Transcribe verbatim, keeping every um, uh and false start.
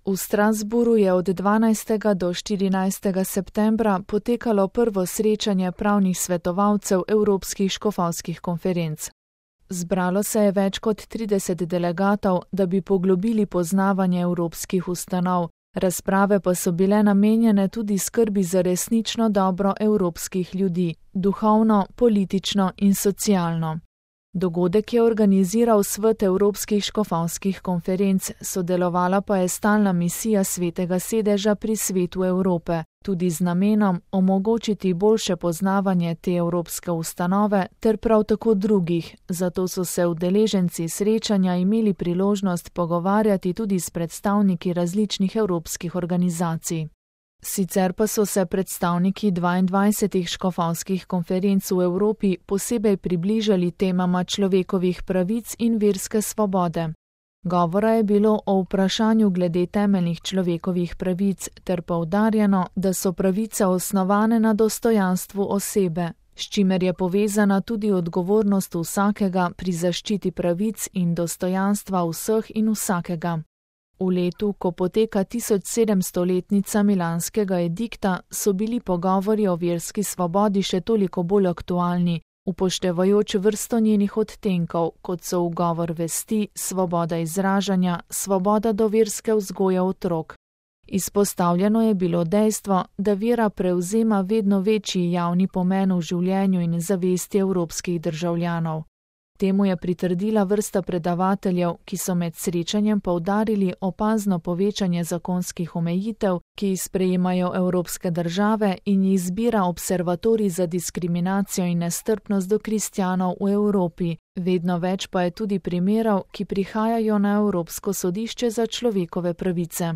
V Strasbourgu je od dvanajstega do štirinajstega septembra potekalo prvo srečanje pravnih svetovalcev Evropskih škofovskih konferenc. Zbralo se je več kot trideset delegatov, da bi poglobili poznavanje evropskih ustanov, razprave pa so bile namenjene tudi skrbi za resnično dobro evropskih ljudi, duhovno, politično in socialno. Dogodek je organiziral Svet Evropskih škofovskih konferenc, sodelovala pa je stalna misija Svetega sedeža pri Svetu Evrope, tudi z namenom omogočiti boljše poznavanje te evropske ustanove ter prav tako drugih, zato so se udeleženci srečanja imeli priložnost pogovarjati tudi s predstavniki različnih evropskih organizacij. Sicer pa so se predstavniki dvaindvajsetih škofovskih konferenc v Evropi posebej približali temama človekovih pravic in verske svobode. Govora je bilo o vprašanju glede temeljnih človekovih pravic ter poudarjeno, da so pravice osnovane na dostojanstvu osebe, s čimer je povezana tudi odgovornost vsakega pri zaščiti pravic in dostojanstva vseh in vsakega. V letu, ko poteka tisočsedemstoletnica milanskega edikta, so bili pogovori o verski svobodi še toliko bolj aktualni, upoštevajoč vrsto njenih odtenkov, kot so ugovor vesti, svoboda izražanja, svoboda do verske vzgoje otrok. Izpostavljeno je bilo dejstvo, da vera prevzema vedno večji javni pomen v življenju in zavesti evropskih državljanov. Temu je pritrdila vrsta predavateljev, ki so med srečanjem poudarili opazno povečanje zakonskih omejitev, ki jih sprejemajo evropske države in jih zbira observatorij za diskriminacijo in nestrpnost do kristjanov v Evropi. Vedno več pa je tudi primerov, ki prihajajo na Evropsko sodišče za človekove pravice.